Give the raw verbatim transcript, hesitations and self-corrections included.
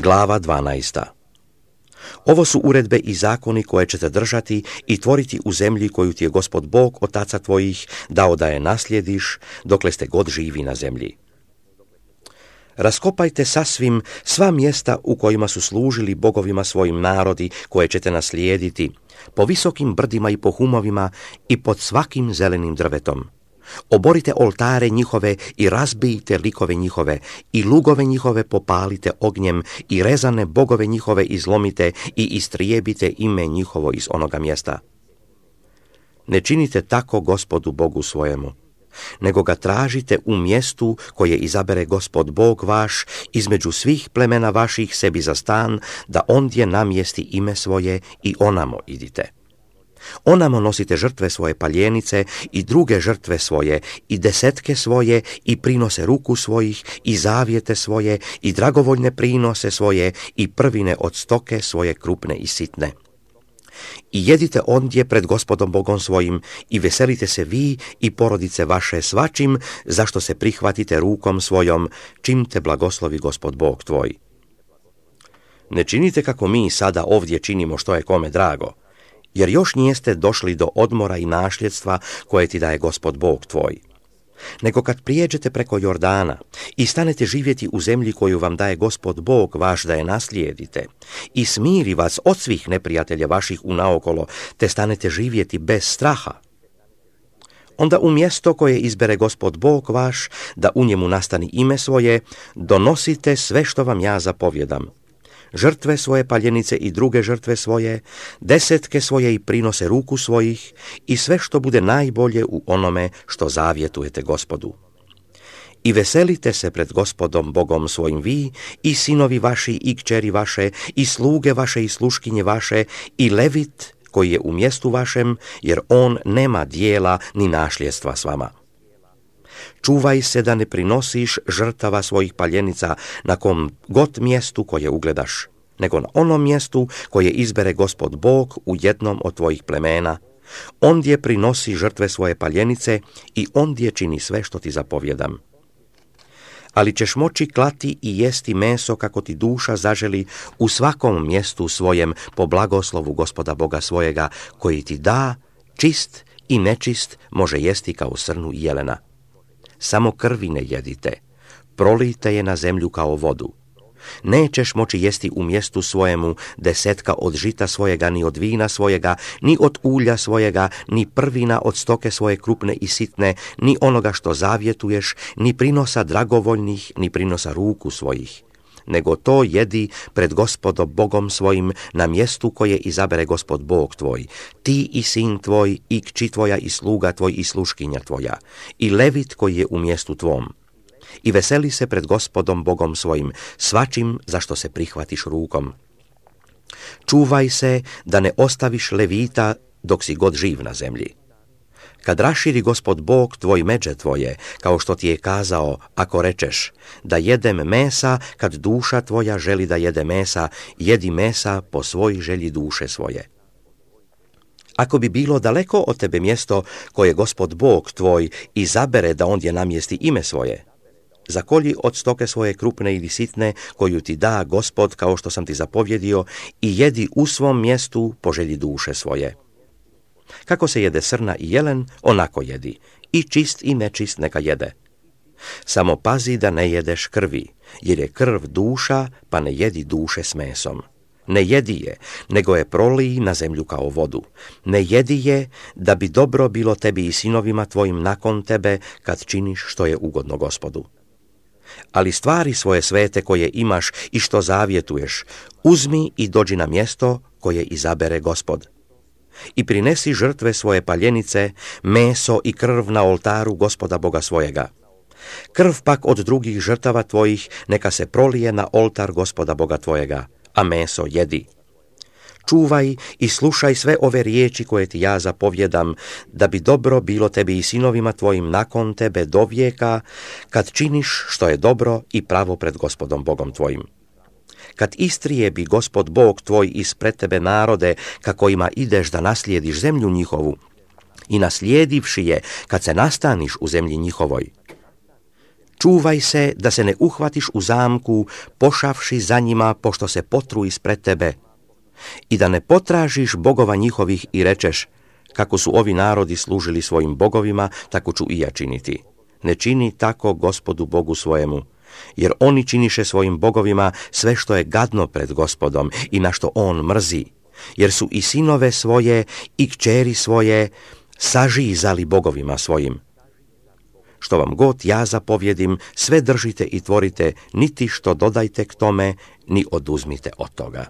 Glava dvanaesta. Ovo su uredbe i zakoni koje ćete držati i tvoriti u zemlji koju ti je Gospod Bog otaca tvojih dao da je naslijediš, dokle ste god živi na zemlji. Raskopajte sasvim sva mjesta u kojima su služili bogovima svojim narodi koje ćete naslijediti, po visokim brdima i po humovima i pod svakim zelenim drvetom. Oborite oltare njihove i razbijte likove njihove i lugove njihove popalite ognjem i rezane bogove njihove izlomite i istrijebite ime njihovo iz onoga mjesta. Ne činite tako Gospodu Bogu svojemu, nego ga tražite u mjestu koje izabere Gospod Bog vaš između svih plemena vaših sebi za stan, da ondje namjesti ime svoje i onamo idite. Onamo nosite žrtve svoje paljenice i druge žrtve svoje i desetke svoje i prinose ruku svojih i zavjete svoje i dragovoljne prinose svoje i prvine od stoke svoje krupne i sitne. I jedite ondje pred Gospodom Bogom svojim i veselite se vi i porodice vaše svačim, zašto se prihvatite rukom svojom, čim te blagoslovi Gospod Bog tvoj. Ne činite kako mi sada ovdje činimo što je kome drago, jer još nijeste došli do odmora i našljedstva koje ti daje Gospod Bog tvoj. Nego kad prijeđete preko Jordana i stanete živjeti u zemlji koju vam daje Gospod Bog vaš da je naslijedite i smiri vas od svih neprijatelja vaših unaokolo, te stanete živjeti bez straha, onda u mjesto koje izbere Gospod Bog vaš, da u njemu nastani ime svoje, donosite sve što vam ja zapovjedam. Žrtve svoje paljenice i druge žrtve svoje, desetke svoje i prinose ruku svojih i sve što bude najbolje u onome što zavjetujete Gospodu. I veselite se pred Gospodom Bogom svojim vi i sinovi vaši i kćeri vaše i sluge vaše i sluškinje vaše i levit koji je u mjestu vašem, jer on nema dijela ni našljedstva s vama. Čuvaj se da ne prinosiš žrtava svojih paljenica na kom god mjestu koje ugledaš, nego na onom mjestu koje izbere Gospod Bog u jednom od tvojih plemena. Ondje prinosi žrtve svoje paljenice i ondje čini sve što ti zapovjedam. Ali ćeš moći klati i jesti meso kako ti duša zaželi u svakom mjestu svojem po blagoslovu Gospoda Boga svojega, koji ti da, čist i nečist može jesti kao srnu i jelena. Samo krvi ne jedite, prolijte je na zemlju kao vodu. Nećeš moći jesti u mjestu svojemu desetka od žita svojega, ni od vina svojega, ni od ulja svojega, ni prvina od stoke svoje krupne i sitne, ni onoga što zavjetuješ, ni prinosa dragovoljnih, ni prinosa ruku svojih. Nego to jedi pred Gospodom Bogom svojim na mjestu koje izabere Gospod Bog tvoj, ti i sin tvoj, i kći tvoja, i sluga tvoj, i sluškinja tvoja, i levit koji je u mjestu tvom. I veseli se pred Gospodom Bogom svojim, svačim zašto se prihvatiš rukom. Čuvaj se da ne ostaviš levita dok si god živ na zemlji. Kad raširi Gospod Bog tvoj međe tvoje, kao što ti je kazao, ako rečeš da jedem mesa, kad duša tvoja želi da jede mesa, jedi mesa po svoj želji duše svoje. Ako bi bilo daleko od tebe mjesto koje Gospod Bog tvoj izabere da ondje namjesti ime svoje, zakolji od stoke svoje krupne ili sitne koju ti da Gospod kao što sam ti zapovjedio i jedi u svom mjestu po želji duše svoje. Kako se jede srna i jelen, onako jedi, i čist i nečist neka jede. Samo pazi da ne jedeš krvi, jer je krv duša, pa ne jedi duše s mesom. Ne jedi je, nego je proliji na zemlju kao vodu. Ne jedi je, da bi dobro bilo tebi i sinovima tvojim nakon tebe, kad činiš što je ugodno Gospodu. Ali stvari svoje svete koje imaš i što zavjetuješ, uzmi i dođi na mjesto koje izabere Gospod. I prinesi žrtve svoje paljenice, meso i krv na oltaru Gospoda Boga svojega. Krv pak od drugih žrtava tvojih neka se prolije na oltar Gospoda Boga tvojega, a meso jedi. Čuvaj i slušaj sve ove riječi koje ti ja zapovjedam, da bi dobro bilo tebi i sinovima tvojim nakon tebe do vijeka, kad činiš što je dobro i pravo pred Gospodom Bogom tvojim. Kad istrijebi Gospod Bog tvoj ispred tebe narode, kako ima ideš da naslijediš zemlju njihovu, i naslijedivši je, kad se nastaniš u zemlji njihovoj, Čúvaj se da se ne uhvatiš u zamku, pošavši za njima, pošto se potru ispred tebe. I da ne potražiš bogova njihovih i rečeš, kako su ovi narodi služili svojim bogovima, tako ću i ja činiti. Ne čini tako Gospodu Bogu svojemu, jer oni činiše svojim bogovima sve što je gadno pred Gospodom i na što on mrzi, jer su i sinove svoje i kćeri svoje sažizali bogovima svojim. Što vam god ja zapovjedim, sve držite i tvorite, niti što dodajte k tome, ni oduzmite od toga.